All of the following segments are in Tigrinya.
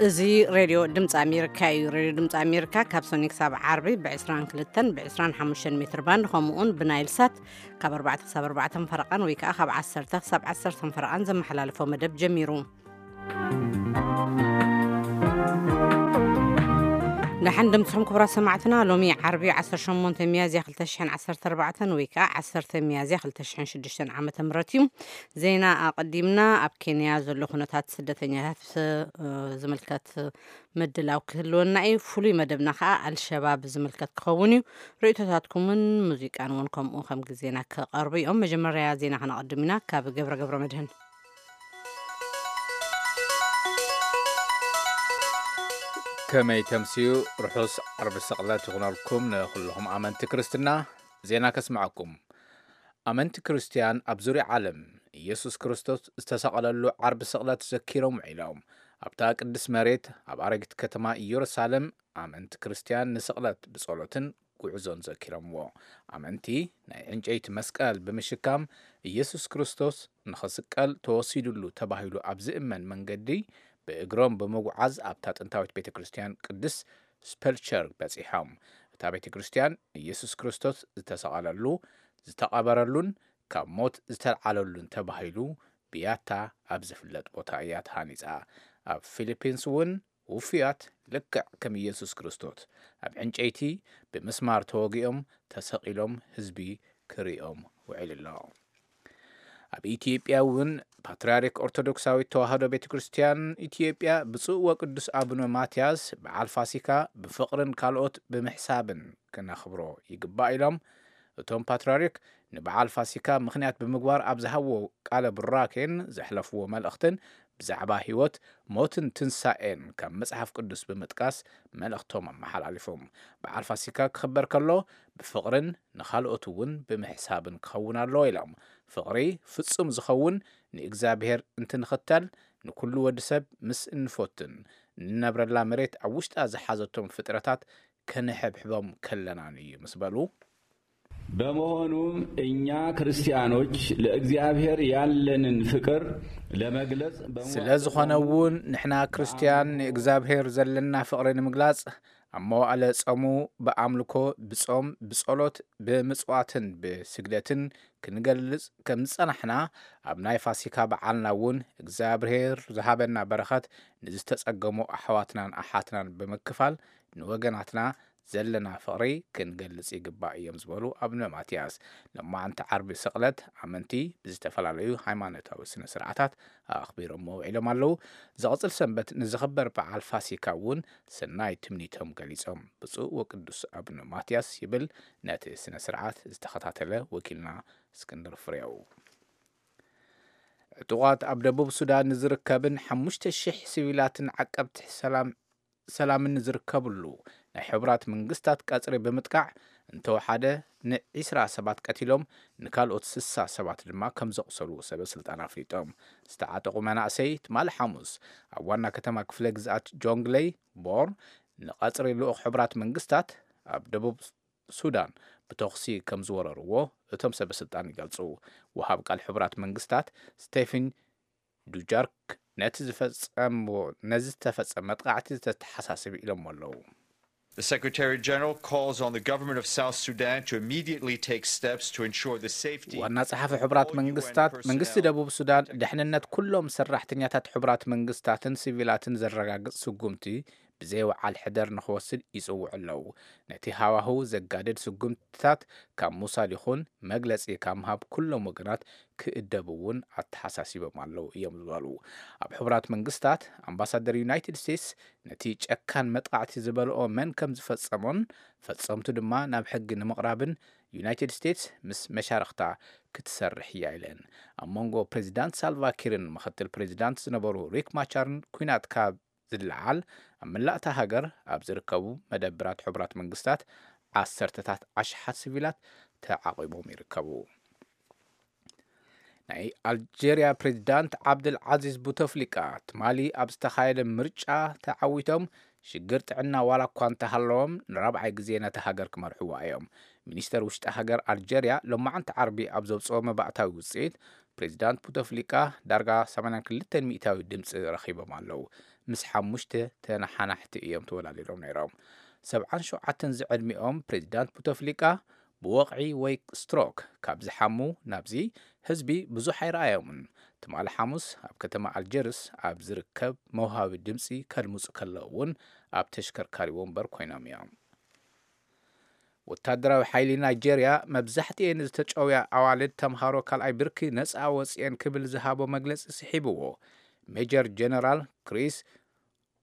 እዚ ሬድዮ ድምፂ ኣሜሪካ እዩ። ሬድዮ ድምፂ ኣሜሪካ ካብ ሰኒ ክሳብ ዓርቢ ብ22ን ብ25 ሜትር ባንድ፣ ከምኡውን ብናይል ሳት ካብ ኣርባዕተ ክሳብ ኣርባዕተ ፈረቓን ወይ ከዓ ካብ ዓሰርተ ክሳብ ዓሰርተ ፈረቓን ዘመሓላልፎ መደብ ጀሚሩ። ደሓን ድምፅኹም ክቡራት ሰማዕትና። ሎሚ ዓርቢ 18 ሚያዝያ 2014 ወይ ከዓ 10 ሚያዝያ 2006 ዓመተ ምህረት እዩ። ዜና ኣቐዲምና። ኣብ ኬንያ ዘሎ ኩነታት ስደተኛታት ዝምልከት ምድላው ክህልወና እዩ። ፍሉይ መደብና ከዓ ኣልሸባብ ዝምልከት ክኸውን እዩ። ርእይቶታትኩምን ሙዚቃን እውን ከምኡ ከም ግዜና ክቐርቡ እዮም። መጀመርያ ዜና ከነቐድም ኢና። ካብ ገብረ ገብረ መድህን። ከመይ ተምስዩ? ርሑስ ዓርቢ ስቕለት ይኹነልኩም ንኹልኹም ኣመንቲ ክርስትና። ዜና ከስምዐኩም። ኣመንቲ ክርስትያን ኣብ ዙርያ ዓለም ኢየሱስ ክርስቶስ ዝተሰቐለሉ ዓርቢ ስቕለት ዘኪሮም ውዒሎም። ኣብታ ቅድስት መሬት ኣብ ኣረጊት ከተማ ኢየሩሳሌም ኣመንቲ ክርስትያን ንስቕለት ብጸሎትን ጉዕዞን ዘኪሮምዎ። ኣመንቲ ናይ ዕንጨይቲ መስቀል ብምሽካም፣ ኢየሱስ ክርስቶስ ንኽስቀል ተወሲዱሉ ተባሂሉ ኣብ ዝእመን መንገዲ ብእግሮም ብምጉዓዝ ኣብታ ጥንታዊት ቤተ ክርስትያን ቅድስት ስፐልቸር በጺሖም። እታ ቤተ ክርስትያን ኢየሱስ ክርስቶስ ዝተሰቐለሉ፣ ዝተቐበረሉን ካብ ሞት ዝተልዓለሉን ተባሂሉ ብያታ ኣብ ዝፍለጥ ቦታ እያ ተሃኒጻ። ኣብ ፊሊፒንስ እውን ውፉያት ልክዕ ከም ኢየሱስ ክርስቶስ ኣብ ዕንጨይቲ ብምስማር ተወጊኦም ተሰቒሎም ህዝቢ ክርእዮም ውዒሉ ኣሎ። ኣብ ኢትዮጵያ እውን ፓትርያርክ ኦርቶዶክሳዊት ተዋህዶ ቤተ ክርስትያን ኢትዮጵያ ብፁዕ ወቅዱስ ኣቡነ ማትያስ በዓል ፋሲካ ብፍቕርን ካልኦት ብምሕሳብን ክነኽብሮ ይግባእ ኢሎም። እቶም ፓትርያርክ ንበዓል ፋሲካ ምኽንያት ብምግባር ኣብ ዝሃብዎ ቃለ ቡራኬን ዘሕለፍዎ መልእኽትን ብዛዕባ ህይወት፣ ሞትን ትንሳኤን ካብ መጽሓፍ ቅዱስ ብምጥቃስ መልእኽቶም ኣመሓላሊፎም። በዓል ፋሲካ ክኽበር ከሎ ብፍቕርን ንኻልኦት እውን ብምሕሳብን ክኸውን ኣለዎ ኢሎም። ፍቕሪ ፍጹም ዝኸውን ንእግዚኣብሔር እንትንኽተል፣ ንኩሉ ወዲ ሰብ ምስ እንፈቱን ንነብረላ መሬት ኣብ ውሽጣ ዝሓዘቶም ፍጥረታት ከነሐብሕቦም ከለናን እዩ ምስ በሉ። በመሆኑም እኛ ክርስቲያኖች ለእግዚአብሔር ያለንን ፍቅር ለመግለጽ በመዋዕለ ስለ ዝኾነ እውን ንሕና ክርስትያን ንእግዚኣብሔር ዘለና ፍቕሪ ንምግላጽ ኣብ መዋዕለ ጾሙ ብኣምልኮ፣ ብጾም፣ ብጸሎት፣ ብምጽዋትን ብስግደትን ክንገልጽ ከም ዝጸናሕና፣ ኣብ ናይ ፋሲካ በዓልና እውን እግዚኣብሔር ዝሃበና በረኸት ንዝተጸገሙ ኣሕዋትናን ኣሓትናን ብምክፋል ንወገናትና ዘለና ፍቕሪ ክንገልጽ ይግባእ እዮም ዝበሉ ኣቡነ ማትያስ፣ ሎማዕንቲ ዓርቢ ስቕለት ኣመንቲ ብዝተፈላለዩ ሃይማኖታዊ ስነ ስርዓታት ኣኽቢሮሞ ውዒሎም ኣለዉ። ዝቕጽል ሰንበት ንዝኽበር በዓል ፋሲካ እውን ሰናይ ትምኒቶም ገሊጾም። ብፁዕ ወቅዱስ ኣቡነ ማትያስ ይብል ነቲ ስነ ስርዓት ዝተኸታተለ ወኪልና እስክንድር ፍሬው። ዕጡቓት ኣብ ደቡብ ሱዳን ንዝርከብን 5,000 ሲቪላትን ዓቀብቲ ሰላም ሰላምን ዝርከብሉ ናይ ሕቡራት መንግስታት ቀጽሪ ብምጥቃዕ እንተወሓደ ን20 ሰባት ቀቲሎም፣ ንካልኦት 60 ሰባት ድማ ከም ዘቑሰሉ ሰበ ስልጣን ኣፍሊጦም። ዝተዓጠቑ መናእሰይ ትማሊ ሓሙስ ኣብ ዋና ከተማ ክፍለ ግዝኣት ጆንግለይ ቦር ንቐጽሪ ልኡኽ ሕቡራት መንግስታት ኣብ ደቡብ ሱዳን ብተኹሲ ከም ዝወረርዎ እቶም ሰበ ስልጣን ይገልጹ። ወሃብ ቃል ሕቡራት መንግስታት ስቴፊን ዱጃርክ ነቲ ዝፈጸምዎ ነዚ ዝተፈጸመ መጥቃዕቲ ዝተተሓሳስብ ኢሎሞ ኣለዉ። The Secretary General calls on the government of South Sudan to immediately take steps to ensure the safety ዋና ጸሓፊ ሕቡራት መንግስታት፣ መንግስቲ ደቡብ ሱዳን ደሕንነት ኩሎም ሰራሕተኛታት ሕቡራት መንግስታትን ሲቪላትን ዘረጋግጽ ስጉምቲ ብዘይ ወዓል ሕደር ንኽወስድ ይጽውዑ ኣለዉ። ነቲ ሃዋህው ዘጋድድ ስጉምትታት ካብ ምውሳድ ይኹን መግለጺ ካብ ምሃብ ኩሎም ወገናት ክእደቡ እውን ኣተሓሳሲቦም ኣለዉ እዮም ዝበሉ። ኣብ ሕቡራት መንግስታት ኣምባሳደር ዩናይትድ ስቴትስ ነቲ ጨካን መጥቃዕቲ ዝበልኦ መን ከም ዝፈጸሞን ፈጸምቱ ድማ ናብ ሕጊ ንምቕራብን ዩናይትድ ስቴትስ ምስ መሻርኽታ ክትሰርሕ እያ ኢለን። ኣብ መንጎ ፕሬዚዳንት ሳልቫ ኪርን ምኽትል ፕሬዚዳንት ዝነበሩ ሪክ ማቻርን ኲናት ካብ ዝለዓል ኣብ መላእታ ሃገር ኣብ ዝርከቡ መደብራት ሕቡራት መንግስታት ዓሰርተታት ኣሽሓት ሲቪላት ተዓቒቦም ይርከቡ። ናይ ኣልጀርያ ፕሬዚዳንት ዓብደል ዓዚዝ ቡተፍሊቃ ትማሊ ኣብ ዝተኻየደ ምርጫ ተዓዊቶም ሽግር ጥዕና ዋላ እኳ እንተሃለዎም ንራብዓይ ግዜ ነታ ሃገር ክመርሕዋ እዮም። ሚኒስተር ውሽጢ ሃገር ኣልጀርያ ሎማዓንቲ ዓርቢ ኣብ ዘውፅኦ መባእታዊ ውፅኢት ፕሬዚዳንት ቡተፍሊቃ ዳርጋ 82% ድምፂ ረኺቦም ኣለዉ። ምስ ሓሙሽተ ተነሓናሕቲ እዮም ተወላሊዶም ነይሮም። ሰብዓን ሸውዓተን ዝዕድሚኦም ፕሬዚዳንት ቡተፍሊቃ ብወቕዒ ወይ ስትሮክ ካብ ዝሓሙ ናብዚ ህዝቢ ብዙሕ ኣይረኣዮምን። ትማሊ ሓሙስ ኣብ ከተማ ኣልጀርስ ኣብ ዝርከብ መውሃቢ ድምፂ ከድምፁ ከለዉ እውን ኣብ ተሽከርካሪ ወንበር ኮይኖም እዮም። ወታደራዊ ሓይሊ ናይጄርያ መብዛሕትኤን ዝተጨውያ ኣዋልድ ተምሃሮ ካልኣይ ብርኪ ነፃ ወፅኤን ክብል ዝሃቦ መግለፂ ስሒብዎ። ሜጀር ጀነራል ክሪስ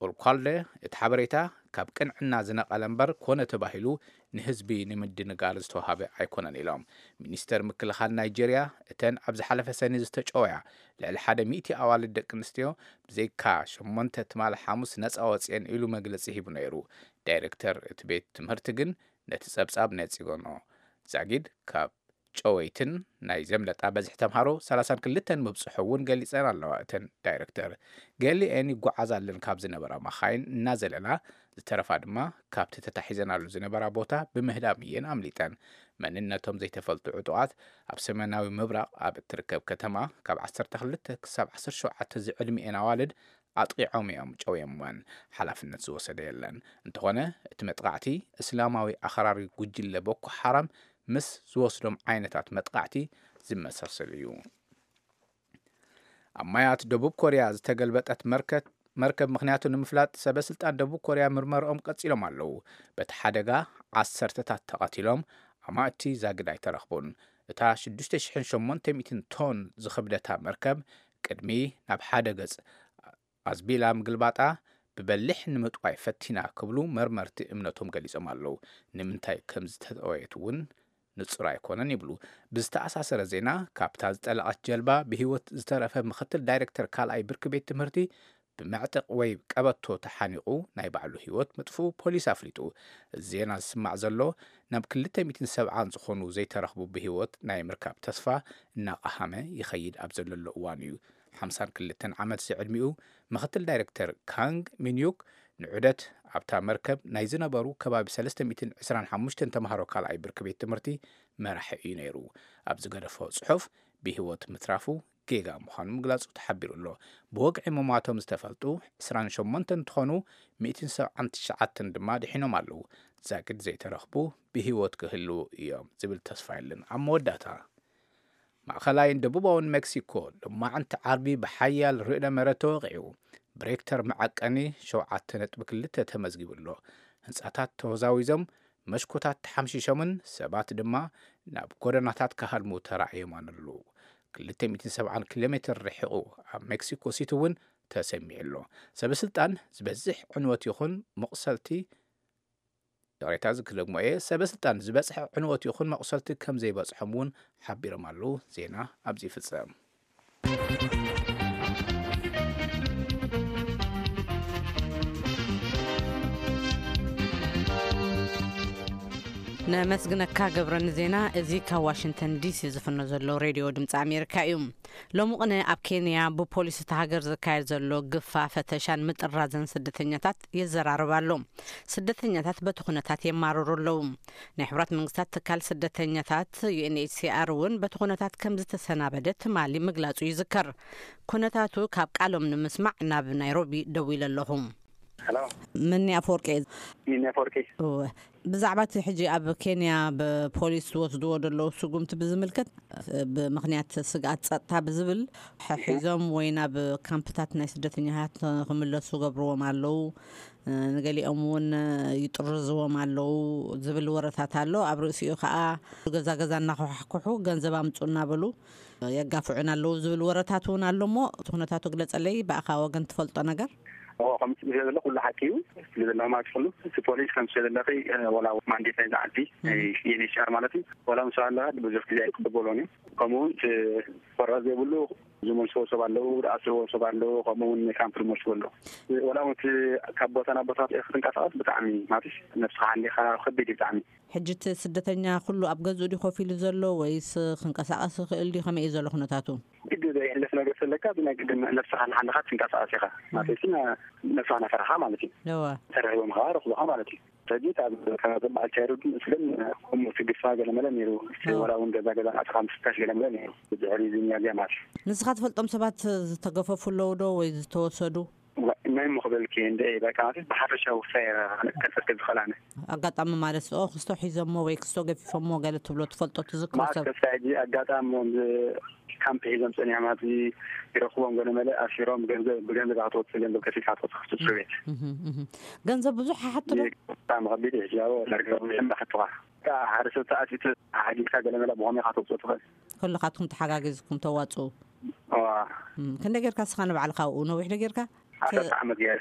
ኦልኳልደ እቲ ሓበሬታ ካብ ቅንዕና ዝነቐለ እምበር ኮነ ተባሂሉ ንህዝቢ ንምድንጋር ዝተዋሃበ ኣይኮነን ኢሎም። ሚኒስተር ምክልኻል ናይጄርያ እተን ኣብ ዝሓለፈ ሰኒ ዝተጨወያ ልዕሊ ሓደ ሚእቲ ኣዋልድ ደቂ ኣንስትዮ ብዘይካ ሸሞንተ ትማሊ ሓሙስ ነፃ ወፅኤን ኢሉ መግለፂ ሂቡ ነይሩ። ዳይሬክተር እቲ ቤት ትምህርቲ ግን ነቲ ጸብጻብ ነጺጎኖ። ዛጊድ ካብ ጨወይትን ናይ ዘምለጣ በዝሒ ተምሃሮ ሰላሳን ክልተን ምብጽሑ እውን ገሊጸን ኣለዋ። እተን ዳይረክተር ገሊኤን ይጓዓዛለን ካብ ዝነበራ መኻይን እናዘለላ፣ ዝተረፋ ድማ ካብቲ ተታሒዘናሉ ዝነበራ ቦታ ብምህዳም እየን ኣምሊጠን። መንነቶም ዘይተፈልጡ ዕጡቓት ኣብ ሰሜናዊ ምብራቕ ኣብ እትርከብ ከተማ ካብ ዓሰርተ ክልተ ክሳብ ዓሰርተ ሸውዓተ ዝዕድሚኤን ኣዋልድ ኣጥቒዖም እዮም ጨውዮምወን። ሓላፍነት ዝወሰደ የለን። እንተኾነ እቲ መጥቓዕቲ እስላማዊ ኣኽራሪ ጉጅለ ቦኮ ሓራም ምስ ዝወስዶም ዓይነታት መጥቓዕቲ ዝመሳሰል እዩ። ኣብ ማያት ደቡብ ኮርያ ዝተገልበጠት መርከት መርከብ ምኽንያቱ ንምፍላጥ ሰበ ስልጣን ደቡብ ኮርያ ምርመርኦም ቀጺሎም ኣለዉ። በቲ ሓደጋ ዓሰርተታት ተቐቲሎም፣ ኣማእቲ ዛግድ ኣይተረኽቡን። እታ ሽዱሽተ ሽሕን ሸሞንተ ሚእትን ቶን ዝኽብደታ መርከብ ቅድሚ ናብ ሓደ ገጽ ኣዝቢላ ምግልባጣ ብበሊሕ ንምጥዋይ ፈቲና ክብሉ መርመርቲ እምነቶም ገሊጾም ኣለዉ። ንምንታይ ከም ዝተጠወየት እውን ንጹር ኣይኮነን ይብሉ። ብዝተኣሳሰረ ዜና፣ ካብታ ዝጠለቐት ጀልባ ብህይወት ዝተረፈ ምኽትል ዳይሬክተር ካልኣይ ብርኪ ቤት ትምህርቲ ብመዕጠቕ ወይ ቀበቶ ተሓኒቑ ናይ ባዕሉ ህይወት ምጥፍኡ ፖሊስ ኣፍሊጡ። እዚ ዜና ዝስማዕ ዘሎ ናብ ክልተ ሚእትን ሰብዓን ዝኾኑ ዘይተረኽቡ ብህይወት ናይ ምርካብ ተስፋ እናቐሃመ ይኸይድ ኣብ ዘለሎ እዋን እዩ። ሓምሳን ክልተን ዓመት ዝዕድሚኡ ምኽትል ዳይሬክተር ካንግ ሚንዩክ ንዑደት ኣብታ መርከብ ናይ ዝነበሩ ከባቢ ሰለስተ ሚእትን ዕስራን ሓሙሽተን ተምሃሮ ካልኣይ ብርኪ ቤት ትምህርቲ መራሒ እዩ ነይሩ። ኣብ ዝገደፎ ጽሑፍ ብህይወት ምትራፉ ጌጋ ምዃኑ ምግላጹ ተሓቢሩ ኣሎ። ብወግዒ ምሟቶም ዝተፈልጡ ዕስራን ሸሞንተን እንትኾኑ፣ ሚእትን ሰብዓን ትሽዓተን ድማ ድሒኖም ኣለዉ። ዛግድ ዘይተረኽቡ ብህይወት ክህልዉ እዮም ዝብል ተስፋ የለን። ኣብ መወዳእታ፣ ማእኸላይን ደቡባውን ሜክሲኮ ሎማዕንቲ ዓርቢ ብሓያል ርእደ መሬት ተወቒዑ። ብሬክተር መዐቀኒ ሸውዓተ ነጥቢ ክልተ ተመዝጊቡ ኣሎ። ህንጻታት ተወዛዊዞም፣ መሽኮታት ተሓምሺሾምን ሰባት ድማ ናብ ጎደናታት ክሃድሙ ተራእዮም ኣለዉ። ክልተ ሚእትን ሰብዓን ኪሎ ሜትር ርሒቑ ኣብ ሜክሲኮ ሲቲ እውን ተሰሚዑ ኣሎ። ሰበ ስልጣን ዝበዝሕ ዕንወት ይኹን መቑሰልቲ፣ ይቕሬታ፣ እዚ ክደግሞ እየ፣ ሰበ ስልጣን ዝበፅሐ ዕንወት ይኹን መቑሰልቲ ከም ዘይበፅሖም እውን ሓቢሮም ኣለዉ። ዜና ኣብዚ ይፍጸም። ነመስግነካ ገብረ ንዜና። እዚ ካብ ዋሽንግተን ዲሲ ዝፍኖ ዘሎ ሬድዮ ድምፂ ኣሜሪካ እዩ። ሎሚ ቅነ ኣብ ኬንያ ብፖሊስ እታ ሃገር ዝካየድ ዘሎ ግፋ፣ ፈተሻን ምጥራዝን ስደተኛታት የዘራርብ ኣሎ። ስደተኛታት በቲ ኩነታት የማርሩ ኣለዉ። ናይ ሕቡራት መንግስታት ትካል ስደተኛታት ዩ ኤን ኤች ሲ ኣር እውን በቲ ኩነታት ከም ዝተሰናበደ ትማሊ ምግላጹ ይዝከር። ኩነታቱ ካብ ቃሎም ንምስማዕ ናብ ናይሮቢ ደዊለ ኣለኹ። ሄሎ። ምኒ ኣፈወርቂ እየ። ሚኒ ኣፈወርቂ። እወ። ብዛዕባ እቲ ሕጂ ኣብ ኬንያ ብፖሊስ ዝወስድዎ ዘለዉ ስጉምቲ ብዝምልከት፣ ብምኽንያት ስግኣት ጸጥታ ብዝብል፣ ሒዞም ወይ ናብ ካምፕታት ናይ ስደተኛታት ክምለሱ ገብርዎም ኣለዉ፣ ንገሊኦም እውን ይጥርዝዎም ኣለዉ ዝብል ወረታት ኣሎ። ኣብ ርእሲኡ ከኣ ገዛ ገዛ እናኳሓሕኩሑ ገንዘብ ኣምጹ እናበሉ የጋፍዑን ኣለዉ ዝብል ወረታት እውን ኣሎ። እሞ እቲ ኩነታቱ ግለጸለይ፣ ብኣኻ ወገን ትፈልጦ ነገር? እዎ፣ ከምቲ ትብልዮ ዘለኺ ኩሉ ሓቂ እዩ። ትብልዮ ዘለኺ ማለት ኩሉ፣ እቲ ፖሊስ ከምቲ ትብልዮ ዘለኺ፣ እ፣ ዋላ ማንዴት ናይዛ ዓዲ፣ እም። ናይ ዩ ኤን ኤች ሲ ኣር ማለት እዩ፣ ዋላ ምስ ኣለኻ ብዙሕ ግዜ ኣይቅበሎን እዩ። ከምኡ እውን እቲ ኮራ ዘይብሉ ዝመልስዎ ሰብ ኣለዉ፣ ዝኣስርዎ ሰብ ኣለዉ፣ ከምኡ እውን ካምፕ ዝመልስዎ ኣለዉ። ዋላ እውን እቲ ካብ ቦታ ናብ ቦታ ክትንቀሳቐስ ብጣዕሚ ማለት ነብስኻ ሓሊኻ ከቢድ እዩ ብጣዕሚ። ሕጂ እቲ ስደተኛ ኩሉ ኣብ ገዝኡ ድዩ ኮፍ ኢሉ ዘሎ ወይስ ክንቀሳቐስ ይኽእል ድዩ? ከመይ እዩ ዘሎ ኩነታቱ? ግዲ ዘየሕልፍ ነገር ስለካ ብናይ ግድን ነብስኻ እናሓለኻ ትንቀሳቐስ ኢኻ። ማለት እዩ፣ ነብስኻ እናፈራኻ ማለት እዩ። እወ። ተረኺቦም ኸዓ ረኽቡኻ ማለት እዩ። ሕጂ ካብ፣ ካብ በዓል ቻይሮ ግን፣ ከምኡ ትግፋ ገለመለ ነይሩ። እወ። ዋላ እውን ገዛ ገዛ ኣትኻ ምፍታሽ ገለመለ ነይሩ። ብድሕሪ እዚ ሚያዝያ ማለት እዩ። ንስኻ ትፈልጦም ሰባት ዝተገፈፉ ኣለዉ ዶ ወይ ዝተወሰዱ? ናይ ምኽበልኪ እንደ በቃ ማለት ብሓፈሻዊ ክሳይ ከልፈት ከዝኸላነ ኣጋጣሚ ማለት ኦ ክስቶ ሒዞሞ ወይ ክስቶ ገፊፎሞ ገለ ትብሎ ትፈልጦ ትዝክሮ ማለት ሰብ ከሳይ ሕጂ ኣጋጣሚ ዎም ካምፕ ሒዞም ጸኒሖም ኣብዚ ይረኽቦም ገለ መለ ኣሲሮም ገንዘብ ብገንዘብ ኣትወጽእ ገንዘብ ከፊልካ ኣትወጽእ ክስቶ ቤት እህ፣ እህ። ገንዘብ ብዙሕ ሓሓትሎ ብጣዕሚ ከቢድ እዩ። ያው ዳርጋ ብሽም ዳሕትኻ ሓደ ሰብ ተኣቲቱ ሓጊዝካ ገለ መለ ብኸመይ ካተውጽእ ትኽእል? ኩልኻትኩም ተሓጋጊዝኩም ተዋጽኡ። እዋ። እም፣ ክንደይ ጌርካ ስኻ ንባዕልኻ ኣብኡ ነዊሕ ዶ ጌርካ? ዓሰርተ ዓመት ገይረ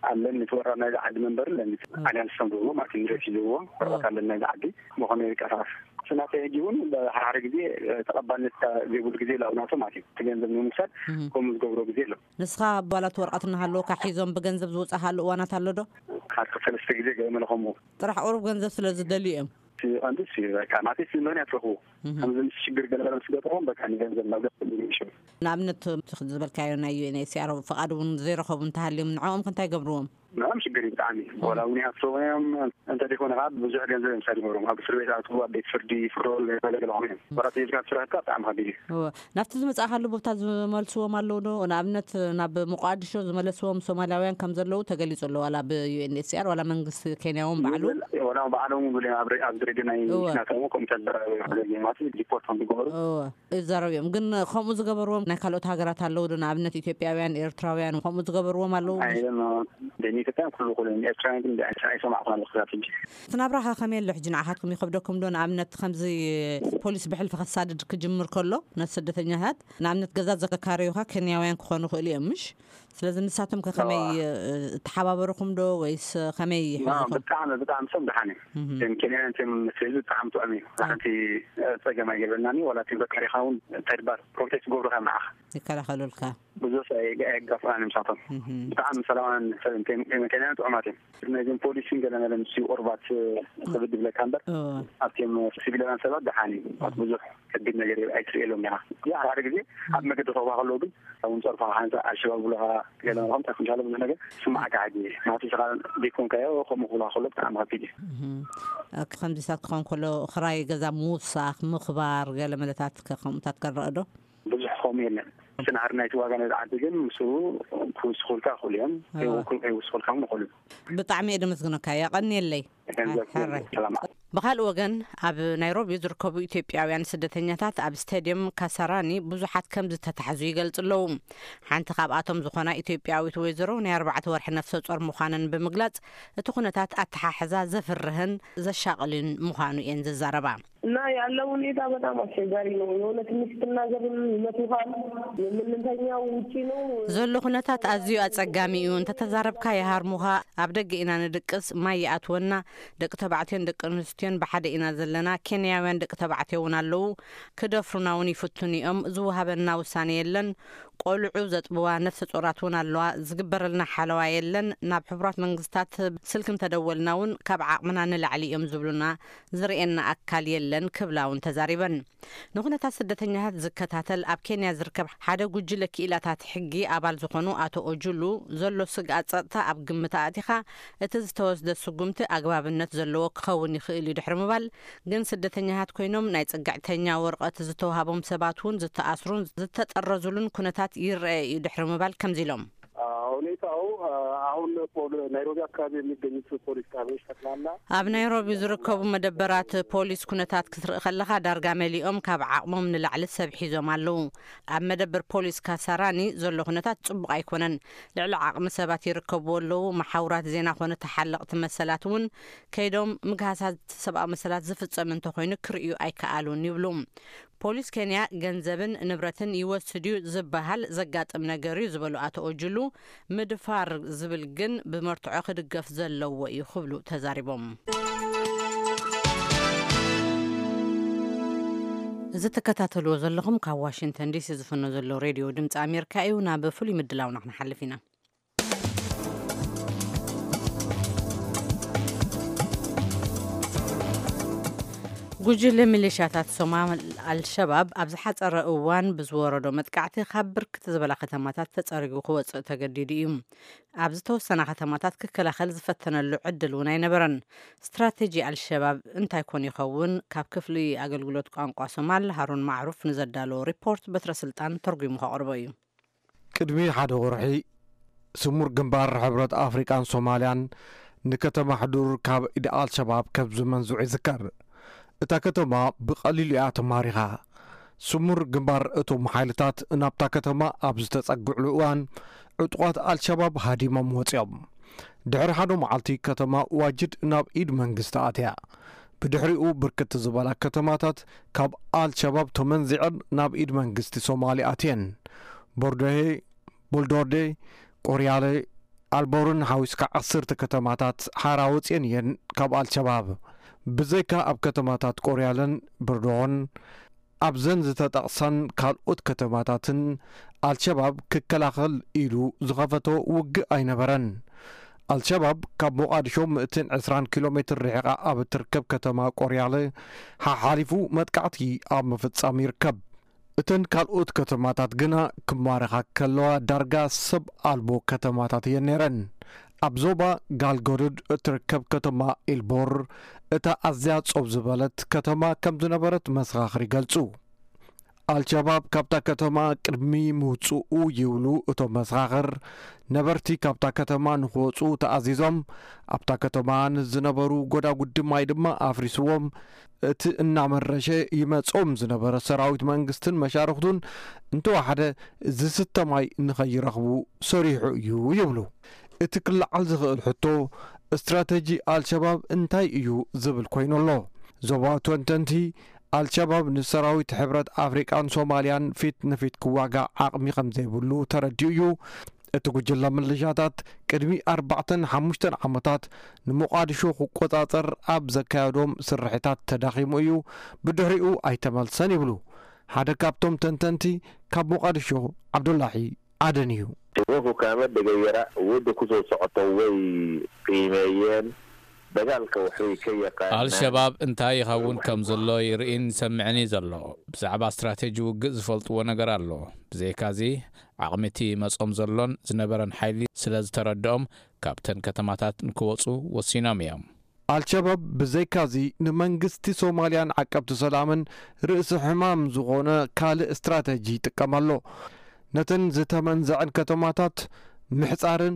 ኣለኒ። እቲ ወራር ናይዚ ዓዲ መንበር ኣለኒ። ኣልያንስ ከም ዝብሉ ማለት እዩ፣ ንረፊ ዝብዎ ወረቐት ኣለኒ ናይዚ ዓዲ። ብኸመይ ይንቀሳቐስ? እቲ ናተይ ሕጂ እውን ብሓድሓደ ግዜ ተቐባልነት ዘይብሉ ግዜ ኣሎ ኣብ ናቶም ማለት እዩ። እቲ ገንዘብ ንምውሳድ እም። ከምኡ ዝገብሮ ግዜ ኣሎ። ንስኻ ኣባላት ወረቐት እናሃለወካ ሒዞም ብገንዘብ ዝወጻኻሉ እዋናት ኣሎ ዶ? ሓደ ሰለስተ ግዜ ገለ መለ ከምኡ። ጥራሕ ቁሩብ ገንዘብ ስለ ዝደልዩ እዮም። እቲ ቀንዲ እሱ እዩ። በቃ ናተይ እቲ ምኽንያት ረኽቡ። እህ። ከምዚ ምስ ሽግር ገለ ገለ ምስ ገጠሞም በቃ ንገንዘብ ናብ ገንዘብ ይምሽው። ንኣብነት እቲ ዝበልካዮ ናይ ዩ ኤን ኤች ሲ ኣር ፍቓድ እውን ዘይረኸቡ እንተሃልዮም ንዕኦም ከ እንታይ ገብርዎም? ንዕኦም ሽግር እዩ ብጣዕሚ። እህ። ዋላ እውን ይኣስርዎም እዮም። እንተ ደይኮነ ከዓ ብዙሕ ገንዘብ እዮም ሳድ ይገብርዎም። ኣብ እስር ቤት ኣትዉ፣ ኣብ ቤት ፍርዲ ይፍረዱ፣ ገለ ገለ ኾኑ እዮም። ዋላ ተይዝካ ትስራሕካ ብጣዕሚ ከቢድ እዩ። እወ። ናብቲ ዝመጻእካሉ ቦታ ዝመልስዎም ኣለዉ ዶ? ንኣብነት ናብ ሞቃዲሾ ዝመለስዎም ሶማላውያን ከም ዘለዉ ተገሊጹ ኣሎ። ዋላ ብ ዩ ኤን ኤች ሲ ኣር ዋላ መንግስቲ ኬንያ እውን ባዕሉ? ይብል፣ ዋላ ባዕሎም ይብሉ እዮም። ኣብ ሬ-፣ ኣብዚ ሬድዮ ናይ እወ። ናቶም ከምኡ ተዘራረቡ እዮም። ማለት ዲፖርት ከም ዝገበሩ። እወ፣ ይዛረቡ እዮም። ግን ከምኡ ዝገበርዎም ናይ ካልኦት ሃገራት ኣለዉ ዶ? ንኣብነት ኢትዮጵያውያን፣ ኤርትራውያን ከምኡ ዝገበርዎም ኣለዉ? ኣይ፣ ኖ፣ ንኢትዮጵያን ኩሉ፣ ኩሉ፣ ኤርትራውያን ግን ኣይሰማዕኩን ኣለኹ ክሳብ ሕጂ። እቲ ናብራኻ ከመይ ኣሎ ሕጂ ንዓኻትኩም ይኸብደኩም ዶ? ንኣብነት ከምዚ ፖሊስ ብሕልፊ ከሳድድ ክጅምር ከሎ ነቲ ስደተኛታት ንኣብነት ገዛ ዘካረዩኻ ኬንያውያን ክኾኑ ይኽእሉ እዮም ምሽ? ስለዚ ንሳቶም ከ ከመይ፣ ኣዋ። እ፣ ተሓባበሩኹም ዶ ወይስ ከመይ ኖ፣ ሕዝኹም? ብጣዕሚ፣ ብጣዕሚ ሰም ደሓን እዩ። እህም። እቶም ኬንያውያን እቶም ምስ ህዝቢ ብጣዕሚ ጥዑም እዩ። ኣዎ። ሓንቲ፣ እ፣ ጸገም ኣይገበርናን እዩ። ዋላ እቶም ዘካሪኻ እውን እንታይ ድባር ፕሮቴስት ክገብሩኻ እዮም ንዓኻ። ይከላኸሉልካ። ብዙሕ ሰብ ኣየ-፣ ኣየጋፍራን እዮም ንሳቶም። እህም። ብጣዕሚ ሰላማውያን ሰብ እዮም። እቶም ኬንያውያን ጥዑማት እዮም። ነዚም ፖሊስን ገለ መለ ምስ ቁርባት፣ እ፣ ክብድ ይብለካ እምበር፣ እዎ። ኣብቶም ሲቪላውያን ሰባት ደሓን እዩ። እም። ብዙሕ ከቢድ ነገር ኣይትርእየሎም ኢኻ። እዚ ሓደ ሓደ ግዜ ኣብ መገዲ ክረኽቡኻ ከለዉ ግን፣ እውን ጸርፋ ሓንሳእ ኣልሸባብ ብለኻ ገለ ምዃኑ እንታይ ክንሻለ ብዙሕ ነገር ስማዓካ ሕጂ። ናቱ ስኻ ዘይኮንካዮ ከምኡ ክብሉኻ ከሎ ብጣዕሚ ከቢድ እዩ። እህም። እ፣ ከምዚታት ክኸውን ከሎ፣ ክራይ ገዛ ምውሳኽ፣ ምኽባር፣ ገለ መለታት ከ-፣ ከምኡታት ከረአ ዶ? ብዙሕ ከምኡ የለን። እቲ ናህሪ ናይቲ ዋጋ ናይዚ ዓዲ ግን ምስኡ ክውስኹልካ ይኽእሉ እዮም። እዎ። ከይውኩ-፣ ከይውስኹልካ እውን ይኽእሉ እዮም። ብጣዕሚ እየ ደመስግነካ። የቐንየለይ። ገንዘብ ሕራይ። ሰላም። ብኻልእ ወገን፣ ኣብ ናይሮቢ ዝርከቡ ኢትዮጵያውያን ስደተኛታት ኣብ ስቴድየም ካሳራኒ ብዙሓት ከም ዝተታሕዙ ይገልጹ ኣለዉ። ሓንቲ ካብኣቶም ዝኾና ኢትዮጵያዊት ወይዘሮ ናይ ኣርባዕተ ወርሒ ነፍሰ ጾር ምዃነን ብምግላጽ፣ እቲ ኩነታት ኣተሓሕዛ ዘፍርህን ዘሻቕልን ምዃኑ እየን ዝዛረባ። እና ያለው ሁኔታ በጣም አስቸጋሪ ነው። የሆነ ትንሽ ስትናገርም ይመቱሃል። የምንተኛው ውጪ ነው። ዘሎ ኩነታት ኣዝዩ ኣጸጋሚ እዩ። እንተተዛረብካ ይሃርሙኻ። ኣብ ደገ ኢና ንድቅስ፣ ማይ ይኣትወና። ደቂ ተባዕትዮን ደቂ ኣንስትዮን ብሓደ ኢና ዘለና። ኬንያውያን ደቂ ተባዕትዮ እውን ኣለዉ። ክደፍሩና እውን ይፍትኑ እዮም። ዝወሃበና ውሳኔ የለን። ቆልዑ ዘጥብዋ ነፍሰ ጾራት እውን ኣለዋ። ዝግበረልና ሓለዋ የለን። ናብ ሕቡራት መንግስታት ስልኪ እንተደወልና እውን ካብ ዓቕምና ንላዕሊ እዮም ዝብሉና። ዝርእየና ኣካል የለን ክብላ እውን ተዛሪበን። ንኩነታት ስደተኛታት ዝከታተል ኣብ ኬንያ ዝርከብ ሓደ ጉጅለ ክኢላታት ሕጊ ኣባል ዝኾኑ ኣቶ ኦጁሉ፣ ዘሎ ስግኣት ጸጥታ ኣብ ግምት ኣእቲኻ እቲ ዝተወስደ ስጉምቲ ኣግባብነት ዘለዎ ክኸውን ይኽእል እዩ ድሕሪ ምባል፣ ግን ስደተኛታት ኮይኖም ናይ ጽግዕተኛ ወረቐት ዝተውሃቦም ሰባት እውን ዝተኣስሩን ዝተጠረዙሉን ኩነታት ይረአ እዩ ድሕሪ ምባል ከምዚ ኢሎም። ሁኔታው አሁን ፖል-፣ ናይሮቢ አካባቢ የሚገኙት ፖሊስ ጣቢያዎች ጠቅላላ ኣብ ናይሮቢ ዝርከቡ መደበራት ፖሊስ ኩነታት ክትርኢ ከለኻ ዳርጋ መሊኦም ካብ ዓቕሞም ንላዕሊ ሰብ ሒዞም ኣለዉ። ኣብ መደበር ፖሊስ ካሳራኒ ዘሎ ኩነታት ጽቡቕ ኣይኮነን። ልዕሊ ዓቕሚ ሰባት ይርከብዎ ኣለዉ። መሓውራት ዜና ኮነ ተሓለቕቲ መሰላት እውን ከይዶም ምግሃሳት ሰብኣዊ መሰላት ዝፍጸም እንተኾይኑ ክርእዩ ኣይከኣሉን ይብሉ። ፖሊስ ኬንያ ገንዘብን ንብረትን ይወስድ እዩ ዝበሃል ዘጋጥም ነገር እዩ ዝበሉ ኣቶ ኦጅሉ፣ ምድፋር ዝብል ግን ብመርትዖ ክድገፍ ዘለዎ እዩ ክብሉ ተዛሪቦም። እዚ ትከታተልዎ ዘለኹም ካብ ዋሽንግተን ዲሲ ዝፍኖ ዘሎ ሬድዮ ድምፂ ኣሜሪካ እዩ። ናብ ፍሉይ ምድላውና ክንሓልፍ ኢና። ጉጅለ ሚሊሻታት ሶማል ኣልሸባብ ኣብ ዝሓጸረ እዋን ብዝወረዶ መጥቃዕቲ ካብ ብርክት ዝበላ ከተማታት ተጸሪጉ ክወጽእ ተገዲዱ እዩ። ኣብ ዝተወሰና ከተማታት ክከላኸል ዝፈተነሉ ዕድል እውን ኣይነበረን። ስትራቴጂ ኣልሸባብ እንታይ ኮን ይኸውን? ካብ ክፍሊ ኣገልግሎት ቋንቋ ሶማል ሃሩን ማዕሩፍ ንዘዳለዎ ሪፖርት በትረ ስልጣን ተርጉሙ ከቕርቦ እዩ። ቅድሚ ሓደ ወርሒ ስሙር ግንባር ሕብረት ኣፍሪቃን ሶማልያን ንከተማ ሕዱር ካብ ኢድ ኣልሸባብ ከም ዝመንዝዑ ይዝከር። እታ ከተማ ብቐሊሉ እያ ተማሪኻ። ስሙር ግንባር እቶም ሓይልታት ናብታ ከተማ ኣብ ዝተጸግዕሉ እዋን፣ ዕጡቓት ኣልሸባብ ሃዲሞም ወጺኦም። ድሕሪ ሓደ መዓልቲ ከተማ ዋጅድ ናብ ኢድ መንግስቲ ኣትያ። ብድሕሪኡ ብርክት ዝበላ ከተማታት ካብ ኣልሸባብ ተመንዚዐን ናብ ኢድ መንግስቲ ሶማሊ ኣትየን። ቦርዶሄ፣ ቦልዶርዴ፣ ቆርያለ፣ ኣልቦርን ሓዊስካ ዓሰርተ ከተማታት ሓራ ወፅየን እየን ካብ ኣልሸባብ። ብዘይካ ኣብ ከተማታት ቆርያለን ብርዶሆን፣ ኣብዘን ዝተጠቕሳን ካልኦት ከተማታትን ኣልሸባብ ክከላኸል ኢሉ ዝኸፈቶ ውግእ ኣይነበረን። ኣልሸባብ ካብ ሞቓድሾ ሚእትን ዕስራን ኪሎ ሜትር ርሒቓ ኣብ እትርከብ ከተማ ቆርያለ ሓሓሊፉ መጥቃዕቲ ኣብ ምፍጻም ይርከብ። እተን ካልኦት ከተማታት ግና ክማረኻ ከለዋ ዳርጋ ሰብ ኣልቦ ከተማታት እየን ነይረን። ኣብ ዞባ ጋልጎዱድ እትርከብ ከተማ ኢልቦር እታ ኣዝያ ጾብ ዝበለት ከተማ ከም ዝነበረት መሰኻኽር ይገልጹ። ኣልሸባብ ካብታ ከተማ ቅድሚ ምውጽኡ ይብሉ እቶም መሰኻኽር፣ ነበርቲ ካብታ ከተማ ንክወጹ ተኣዚዞም፣ ኣብታ ከተማ ንዝነበሩ ጎዳጉዲ ማይ ድማ ኣፍሪስዎም። እቲ እናመረሸ ይመጾም ዝነበረ ሰራዊት መንግስትን መሻርኽቱን እንተወሓደ ዝስተ ማይ ንኸይረኽቡ ሰሪሑ እዩ ይብሉ። እቲ ክለዓል ዝኽእል ሕቶ፣ ስትራተጂ ኣልሸባብ እንታይ እዩ ዝብል ኮይኑ ኣሎ። ዞባዊ ተንተንቲ፣ ኣልሸባብ ንሰራዊት ሕብረት ኣፍሪቃን ሶማልያን ፊት ንፊት ክዋጋእ ዓቕሚ ከም ዘይብሉ ተረዲኡ እዩ። እቲ ጉጅለ ምልሻታት ቅድሚ ኣርባዕተን ሓሙሽተን ዓመታት ንሞቓድሾ ክቆጻጸር ኣብ ዘካየዶም ስርሒታት ተዳኺሙ እዩ፣ ብድሕሪኡ ኣይተመልሰን ይብሉ ሓደ ካብቶም ተንተንቲ ካብ ሞቓድሾ፣ ዓብዱላሂ ኣደን እዩ። Iboku kama degayara wadda ku soo socoto way qiimeeyeen dagaalka waxay ka yaqaanaan. ኣልሸባብ እንታይ ይኸውን ከም ዘሎ ይርእን ይሰምዕን እዩ ዘሎ። ብዛዕባ ስትራቴጂ ውግእ ዝፈልጥዎ ነገር ኣሎ። ብዘይካዚ ዓቕሚ እቲ መጾም ዘሎን ዝነበረን ሓይሊ ስለ ዝተረድኦም ካብተን ከተማታት ንክወጹ ወሲኖም እዮም። ኣልሸባብ ብዘይካዚ ንመንግስቲ ሶማልያን ዓቀብቲ ሰላምን ርእሲ ሕማም ዝኾነ ካልእ ስትራተጂ ይጥቀም ኣሎ። ነተን ዝተመንዘዐን ከተማታት ምሕጻርን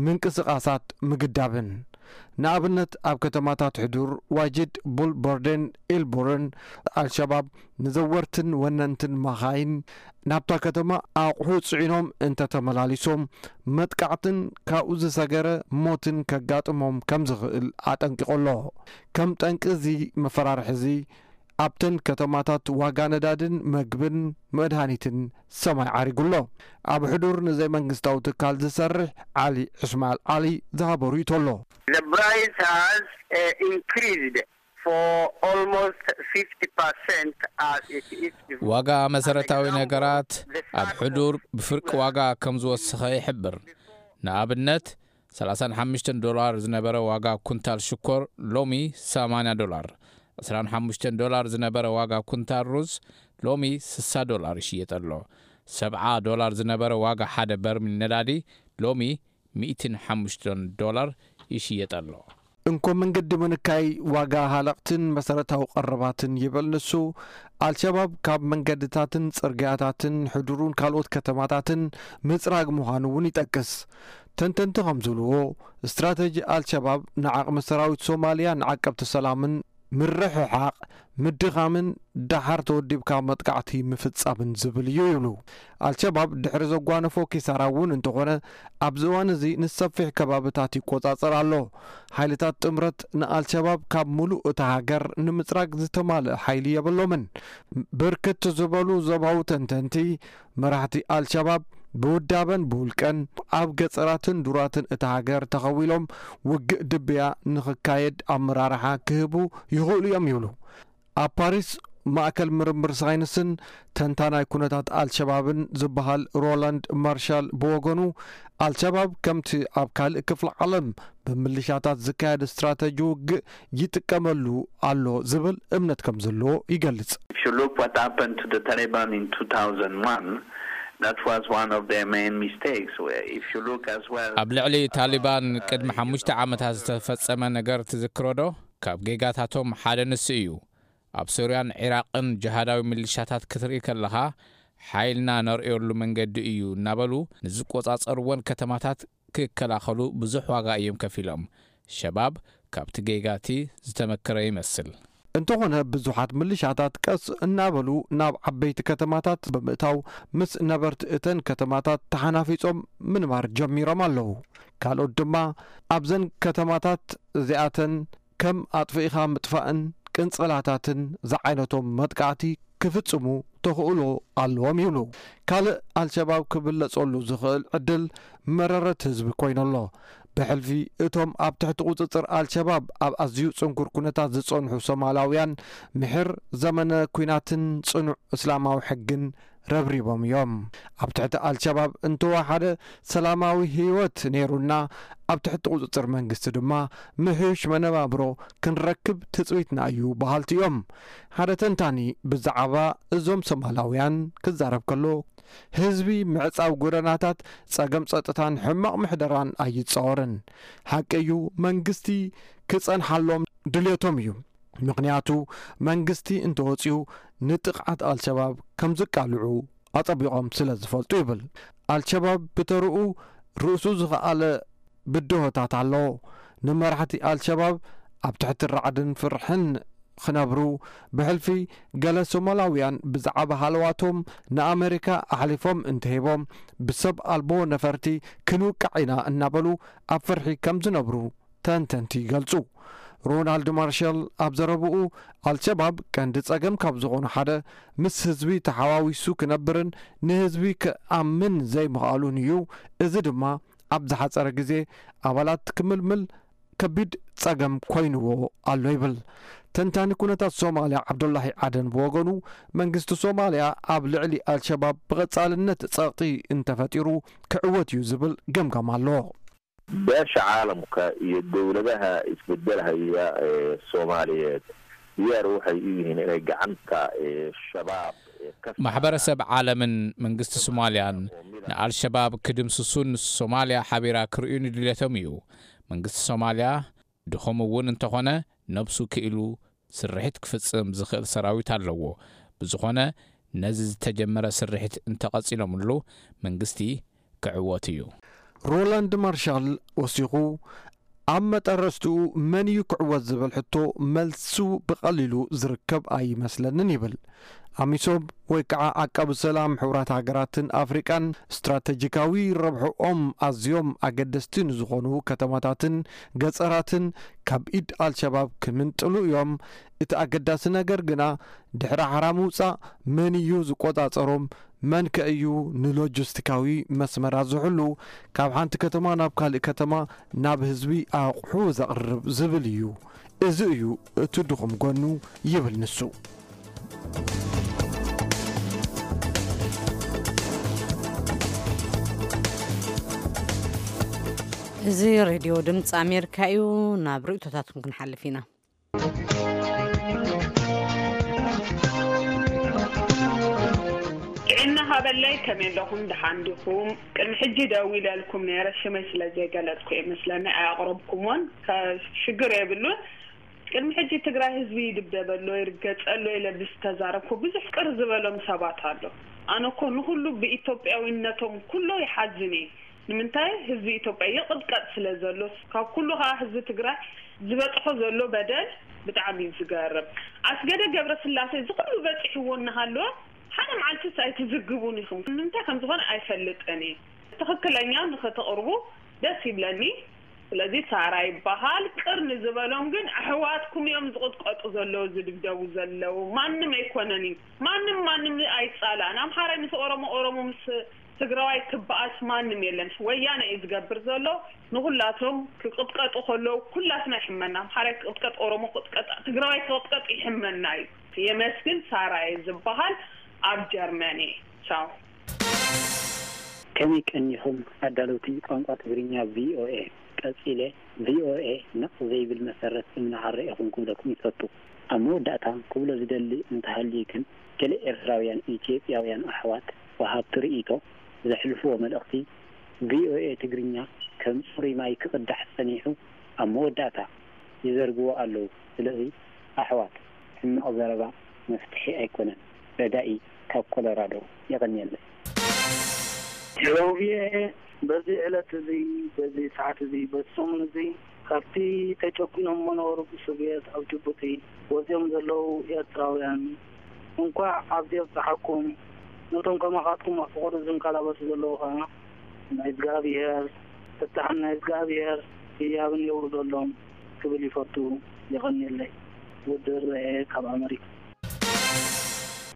ምንቅስቓሳት ምግዳብን። ንኣብነት ኣብ ከተማታት ሕዱር፣ ዋጅድ፣ ቡል ቦርደን ኢልቡርን ኣልሸባብ ንዘወርትን ወነንትን መኻይን ናብታ ከተማ ኣቑሑ ጽዒኖም እንተተመላሊሶም መጥቃዕትን ካብኡ ዝሰገረ ሞትን ከጋጥሞም ከም ዝኽእል ኣጠንቂቑ ኣሎ። ከም ጠንቂ እዚ መፈራርሒ እዚ ኣብተን ከተማታት ዋጋ ነዳድን መግብን መድሃኒትን ሰማይ ዓሪጉ ኣሎ። ኣብ ሕዱር ንዘይመንግስታዊ ትካል ዝሰርሕ ዓሊ እስማኤል ዓሊ ዝሃቦ ርእይቶ ኣሎ። The price has uh, increased for almost fifty percent as it is. ዋጋ መሰረታዊ ነገራት ኣብ ሕዱር ብፍርቂ ዋጋ ከም ዝወሰኸ ይሕብር። ንኣብነት ሰላሳን ሓሙሽተን ዶላር ዝነበረ ዋጋ ኩንታል ሽኮር ሎሚ ሰማንያ ዶላር፣ ዕስራን ሓሙሽተን ዶላር ዝነበረ ዋጋ ኩንታል ሩዝ ሎሚ ስሳ ዶላር ይሽየጥ ኣሎ። ሰብዓ ዶላር ዝነበረ ዋጋ ሓደ በርሚል ነዳዲ ሎሚ ሚእትን ሓሙሽተን ዶላር ይሽየጥ ኣሎ። እንኮ መንገዲ ምንካይ ዋጋ ሃለቕትን መሰረታዊ ቀረባትን ይብል ንሱ፣ ኣልሸባብ ካብ መንገድታትን ጽርግያታትን ሕዱሩን ካልኦት ከተማታትን ምጽራግ ምዃኑ እውን ይጠቅስ። ተንተንቲ ከም ዝብልዎ፣ ስትራተጂ ኣልሸባብ ንዓቕሚ ሰራዊት ሶማልያ ንዓቀብቲ ሰላምን ምርሕሓቕ፣ ምድኻምን ደሓር ተወዲብካ መጥቃዕቲ ምፍጻምን ዝብል እዩ ይብሉ። ኣልሸባብ ድሕሪ ዘጓነፎ ኪሳራ እውን እንተኾነ፣ ኣብዚ እዋን እዚ ንሰፊሕ ከባብታት ይቆጻጸር ኣሎ። ሓይልታት ጥምረት ንኣልሸባብ ካብ ሙሉእ እታ ሃገር ንምጽራግ ዝተማልአ ሓይሊ የብሎምን። ብርክት ዝበሉ ዞባዊ ተንተንቲ፣ መራሕቲ ኣልሸባብ ብውዳበን ብውልቀን ኣብ ገጸራትን ዱራትን እታ ሃገር ተኸዊሎም ውግእ ድብያ ንኽካየድ ኣመራርሓ ክህቡ ይኽእሉ እዮም ይብሉ። ኣብ ፓሪስ ማእከል ምርምር ሳይንስን ተንታናይ ኩነታት ኣልሸባብን ዝበሃል ሮላንድ ማርሻል ብወገኑ፣ ኣልሸባብ ከምቲ ኣብ ካልእ ክፍሊ ዓለም ብምልሻታት ዝካየድ ስትራተጂ ውግእ ይጥቀመሉ ኣሎ ዝብል እምነት ከም ዘለዎ ይገልጽ። If you look what happened to the Taliban in two thousand one, that was one of their main mistakes. Where if you look as well, ኣብ ልዕሊ ታሊባን ቅድሚ ሓሙሽተ ዓመታት ዝተፈጸመ ነገር ትዝክሮ ዶ? ካብ ጌጋታቶም ሓደ ንሱ እዩ። ኣብ ሶርያን ዒራቕን ጅሃዳዊ ሚሊሻታት ክትርኢ ከለኻ፣ ሓይልና ነርእየሉ መንገዲ እዩ እናበሉ ንዝቆጻጸርወን ከተማታት ክከላኸሉ ብዙሕ ዋጋ እዮም ከፊሎም። ሸባብ ካብቲ ጌጋቲ ዝተመከረ ይመስል። እንተኾነ ብዙሓት ምልሻታት ቀስ እናበሉ ናብ ዓበይቲ ከተማታት ብምእታው ምስ ነበርቲ እተን ከተማታት ተሓናፊጾም ምንባር ጀሚሮም ኣለዉ። ካልኦት ድማ ኣብዘን ከተማታት እዚኣተን ከም ኣጥፊእኻ ምጥፋእን ቅንጸላታትን ዝዓይነቶም መጥቃዕቲ ክፍጽሙ ተኽእሎ ኣለዎም ይብሉ። ካልእ ኣልሸባብ ክብለጸሉ ዝኽእል ዕድል መረረት ህዝቢ ኮይኑ ኣሎ። ብሕልፊ እቶም ኣብ ትሕቲ ቁጽጽር ኣልሸባብ ኣብ ኣዝዩ ጽንኩር ኩነታት ዝጸንሑ ሶማላውያን ምሕር ዘመነ ኲናትን ጽኑዕ እስላማዊ ሕግን ረብሪቦም እዮም። ኣብ ትሕቲ ኣልሸባብ እንተወሓደ ሰላማዊ ህይወት ነይሩና፣ ኣብ ትሕቲ ቁጽጽር መንግስቲ ድማ ምሕዩሽ መነባብሮ ክንረክብ ትጽቢትና እዩ በሃልቲ እዮም። ሓደ ተንታኒ ብዛዕባ እዞም ሶማላውያን ክዛረብ ከሎ፣ ህዝቢ ምዕጻው ጎደናታት ጸገም ጸጥታን ሕማቕ ምሕደራን ኣይጻወርን። ሓቂ እዩ፣ መንግስቲ ክጸንሓሎም ድልየቶም እዩ። ምኽንያቱ መንግስቲ እንተወጺኡ ንጥቕዓት ኣልሸባብ ከም ዝቃልዑ ኣጸቢቖም ስለ ዝፈልጡ ይብል። ኣልሸባብ ብተርኡ ርእሱ ዝኸኣለ ብድሆታት ኣለዎ። ንመራሕቲ ኣልሸባብ ኣብ ትሕቲ ራዕድን ፍርሕን ክነብሩ ብሕልፊ ገለ ሶማላውያን ብዛዕባ ሃለዋቶም ንኣመሪካ ኣሕሊፎም እንተሂቦም ብሰብ ኣልቦ ነፈርቲ ክንውቃዕ ኢና እናበሉ ኣብ ፍርሒ ከም ዝነብሩ ተንተንቲ ይገልጹ። ሮናልድ ማርሻል ኣብ ዘረብኡ ኣልሸባብ ቀንዲ ጸገም ካብ ዝኾኑ ሓደ ምስ ህዝቢ ተሓዋዊሱ ክነብርን ንህዝቢ ክኣምን ዘይምኽኣሉን እዩ። እዚ ድማ ኣብ ዝሓጸረ ግዜ ኣባላት ክምልምል ከቢድ ጸገም ኮይንዎ ኣሎ ይብል። ተንታኒ ኩነታት ሶማልያ ዓብዱላሂ ዓደን ብወገኑ መንግስቲ ሶማልያ ኣብ ልዕሊ ኣልሸባብ ብቐጻልነት ጸቕጢ እንተፈጢሩ ክዕወት እዩ ዝብል ገምጋም ኣሎ። Beesha caalamka iyo dowladaha isbedelhaya ee Soomaaliyeed diyaar waxay u yihiin inay gacanta shabaab. ማሕበረሰብ ዓለምን መንግስቲ ሶማልያን ንኣልሸባብ ክድምስሱን ሶማልያ ሓቢራ ክርእዩን ድልየቶም እዩ። መንግስቲ ሶማልያ ድኹም እውን እንተኾነ ነብሱ ክኢሉ ስርሒት ክፍጽም ዝኽእል ሰራዊት ኣለዎ። ብዝኾነ ነዚ ዝተጀመረ ስርሒት እንተቐጺሎምሉ መንግስቲ ክዕወት እዩ። ሮላንድ ማርሻል ወሲኹ ኣብ መጠረስትኡ መን እዩ ክዕወት ዝብል ሕቶ መልሱ ብቐሊሉ ዝርከብ ኣይመስለንን ይብል። ኣሚሶም ወይ ከዓ ዓቃቢ ሰላም ሕቡራት ሃገራትን ኣፍሪቃን ስትራተጂካዊ ረብሕኦም ኣዝዮም ኣገደስቲ ንዝኾኑ ከተማታትን ገፀራትን ካብ ኢድ ኣልሸባብ ክምንጥሉ እዮም። እቲ ኣገዳሲ ነገር ግና ድሕሪ ሓራ ምውፃእ መን እዩ ዝቆፃፀሮም? መን ከ እዩ ንሎጂስቲካዊ መስመራት ዝሕሉ? ካብ ሓንቲ ከተማ ናብ ካልእ ከተማ ናብ ህዝቢ ኣቑሑ ዘቕርብ ዝብል እዩ። እዚ እዩ እቲ ድኹም ጎኑ ይብል ንሱ። እዚ ሬድዮ ድምፂ ኣሜሪካ እዩ። ናብ ርእቶታትኩም ክንሓልፍ ኢና። ጥዕና ሃበለይ፣ ከመይ ኣለኹም? ደሓን ዲኹም? ቅድሚ ሕጂ ደዊለልኩም ነይረ፣ ሽመይ ስለ ዘይገለጽኩ እየ መስለኒ ኣየቕረብኩምዎን። ሽግር የብሉን። ቅድሚ ሕጂ ትግራይ ህዝቢ ይድብደበሎ፣ ይርገጸሎ ኢለ ብዝተዛረብኩ ብዙሕ ቅር ዝበሎም ሰባት ኣሎ። ኣነ እኮ ንኹሉ ብኢትዮጵያዊነቶም ኩሎ ይሓዝን እየ። ንምንታይ ህዝቢ ኢትዮጵያ ይቕጥቀጥ ስለ ዘሎ፣ ካብ ኩሉ ከዓ ህዝቢ ትግራይ ዝበፅሖ ዘሎ በደል ብጣዕሚ እዩ ዝገርም። ኣስገደ ገብረስላሴ እዚ ኩሉ በፂሕዎ እናሃለወ ሓደ መዓልትስ ኣይትዝግቡን ኢኹም። ንምንታይ ከም ዝኾነ ኣይፈልጥን እየ። ትኽክለኛ ንኽተቕርቡ ደስ ይብለኒ። ስለዚ ሳራ ይበሃል። ቅር ንዝበሎም ግን ኣሕዋትኩም እዮም ዝቕጥቀጡ ዘለዉ፣ ዝድብደቡ ዘለዉ። ማንም ኣይኮነን እዩ። ማንም ማንም ኣይፃላእን። ኣምሓራይ ምስ ኦሮሞ፣ ኦሮሞ ምስ ትግራዋይ ክበኣስ ማንም የለን። ወያነ እዩ ዝገብር ዘሎ። ንኹላቶም ክቕጥቀጡ ከለዉ ኩላትና ይሕመና። ኣምሓራይ ክቕጥቀጥ፣ ኦሮሞ ክቕጥቀጥ፣ ትግራዋይ ክቕጥቀጥ ይሕመና እዩ። የመስግን ሳራ እየ ዝበሃል። ኣብ ጀርመን እየ። ቻው። ከመይ ቀኒኹም ኣዳለውቲ ቋንቋ ትግርኛ ቪኦኤ? ቀጺለ ቪኦኤ ነቕ ዘይብል መሰረት እምኒ ዓረ ኢኹም ክብለኩም ይፈቱ። ኣብ መወዳእታ ክብሎ ዝደሊ እንተሃልዩ ግን፣ ገለ ኤርትራውያን ኢትዮጵያውያን ኣሕዋት ወሃብቲ ርእይቶ ዘሕልፍዎ መልእኽቲ ቪኦኤ ትግርኛ ከም ጽሩይ ማይ ክቕዳሕ ጸኒሑ ኣብ መወዳእታ ይዘርግዎ ኣለዉ። ስለዚ ኣሕዋት፣ ሕማቕ ዘረባ መፍትሒ ኣይኮነን። ረዳኢ ካብ ኮሎራዶ። የቐንየለይ። ሄሎ ቪኦኤ፣ በዚ ዕለት እዚ፣ በዚ ሰዓት እዚ፣ በዚ ሰሙን እዚ ካብቲ ተጨቁኖም መነበሩ ብሶቪየት ኣብ ጅቡቲ ወፂኦም ዘለዉ ኤርትራውያን እንኳዕ ኣብዚ ኣብፀሓኩም። ነቶም ከማኻትኩም ኣብ ፍቕሪ ዝንከላበቱ ዘለዉ ኸዓ ናይ እግዚኣብሔር ፍታሕን ናይ እግዚኣብሔር ህያብን የውርደሎም ክብል ይፈቱ። የቐንየለይ። ውድር ርኤ ካብ ኣመሪካ።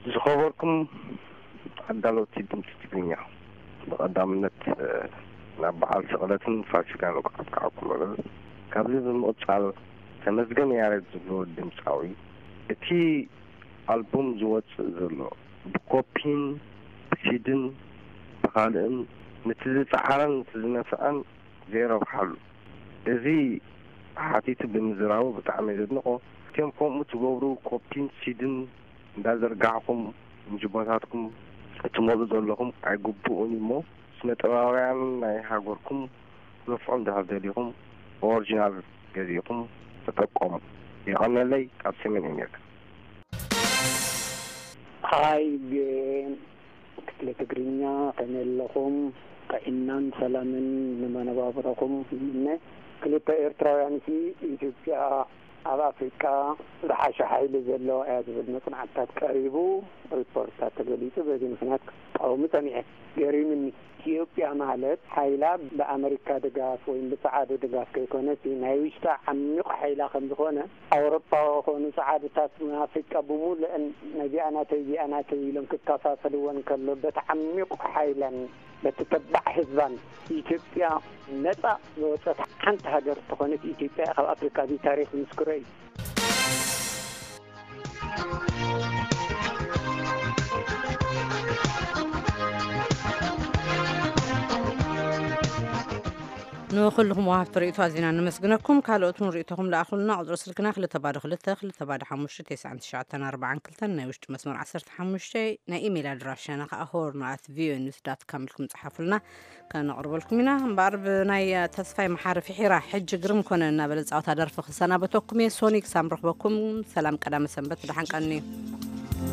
ዝኸበርኩም ኣዳለውቲ ድምፂ ትግርኛ፣ ብቐዳምነት ናብ በዓል ስቕለትን ፋሲካን እንኳዕ ኣብቅዓኩም እብል። ካብዚ ብምቕፃል ተመስገን ያሬድ ዝብሎ ድምፃዊ እቲ ኣልቡም ዝወፅእ ዘሎ ብኮፒን ብሲድን ብኻልእን ነቲ ዝፀዓረን ነቲ ዝነፍዐን ዘይረብሓሉ፣ እዚ ሓቲቱ ብምዝራቡ ብጣዕሚ እየ ዘድንቖ። እቲኦም ከምኡ ትገብሩ ኮፒን ሲድን እንዳዘርጋሕኩም ንጅቦታትኩም እትመልኡ ዘለኹም ኣይግብኡን እሞ፣ ስነ ጥበባውያን ናይ ሃገርኩም ነፍዑ እንድሕር ደሊኹም ብኦሪጂናል ገዚእኹም ተጠቀሙ። የቐነለይ ካብ ሰሜን ኣሜሪካ። ሃይ ቪኦኤ ክፍለ ትግርኛ፣ ከመይ ኣለኹም? ጥዕናን ሰላምን ንመነባብሮኹም ይምነ። ክልተ ኤርትራውያን ሲ ኢትዮጵያ ኣብ ኣፍሪቃ ዝሓሸ ሓይሊ ዘለዋ እያ ዝብል መጽናዕትታት ቀሪቡ፣ ሪፖርትታት ተገሊጹ። በዚ ምኽንያት ክቃወሙ ጸኒሐ። ገሪምኒ። ኢትዮጵያ ማለት ሓይላ ብኣመሪካ ድጋፍ ወይም ብጸዓዱ ድጋፍ ከይኮነሲ ናይ ውሽጣ ዓሚቕ ሓይላ ከም ዝኾነ ኣውሮፓ ኮኑ ጸዓዱታት ኣፍሪቃ ብሙሉአን ነዚኣ ናተይ እዚኣ ናተይ ኢሎም ክከፋፈልወን ከሎ በቲ ዓሚቕ ሓይላን በቲ ተባዕ ህዝባን ኢትዮጵያ ነጻ ዝወጸት ሓንቲ ሃገር ተኾነት ኢትዮጵያ ካብ ኣፍሪቃ እዚ ታሪኽ ዝምስክሮ እዩ። ንኹልኹም ወሃብቲ ርእይቶ ኣዚና ነመስግነኩም። ካልኦት እውን ርእይቶኹም ለኣኹልና። ቁጽሪ ስልክና ክልተ ባዶ ክልተ ክልተ ባዶ ሓሙሽተ ተስዓን ትሽዓተን ኣርባዓን ክልተን፣ ናይ ውሽጢ መስመር ዓሰርተ ሓሙሽተ፣ ናይ ኢሜይል ኣድራሻና ከኣ ሆርን ኣት ቪኦኤ ኒውስ ዳት ካም ኢልኩም ጸሓፉልና። ከነቕርበልኩም ኢና። እምበኣር ብናይ ተስፋይ መሓሪ ፍሒራ ሕጂ ግርም ኮነ እናበለ ዝጻወታ ደርፊ ክሰናበተኩም እየ። ሶኒ ክሳብ ንረኽበኩም ሰላም ቀዳመ ሰንበት፣ ደሓን ቀንዩ።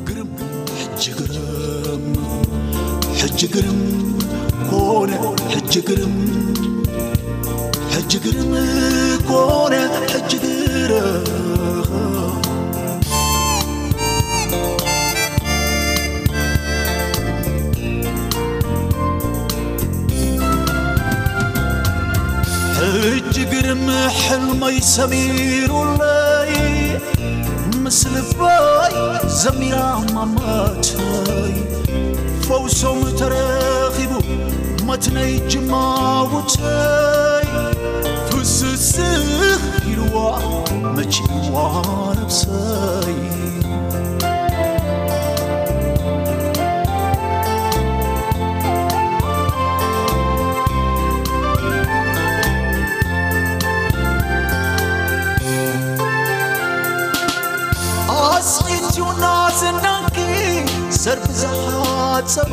ግርም ሕጂ ግርም ሕጂ ግርም ኮነ ሕጂ ግርም ሕጂ ግርም ኮነ ሕጂ ግርም ሕጂ ግርም ሕልመይ ሰሚሩለይ ምስ ልበይ ዘሚራ ማማተይ ፈውሶም ተረኺቡ መትነይ ጅማውተይ ፍስስኽ ኢልዋ መቺዋ ነብሰይ ኣስቂትዩና ዝናንኪ ዘርቢ ዝሓጸቦ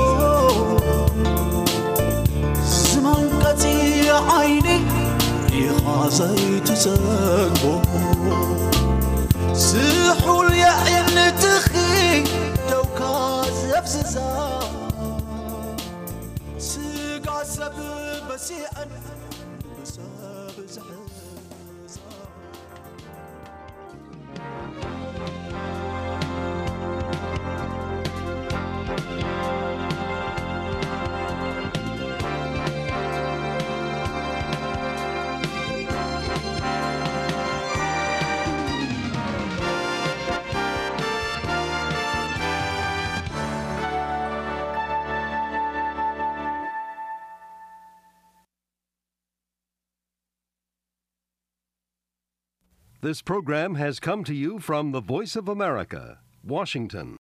ዝመንቀጺ ዓይኒ ሪኻ ዘይትጸግቦ ስሑል የዒንትኺ ደውካ ዘፍዝዛ ስጋ ሰብ በሲዐን ንብሰብ ዝሕዛ This program has come to you from the Voice of America, Washington.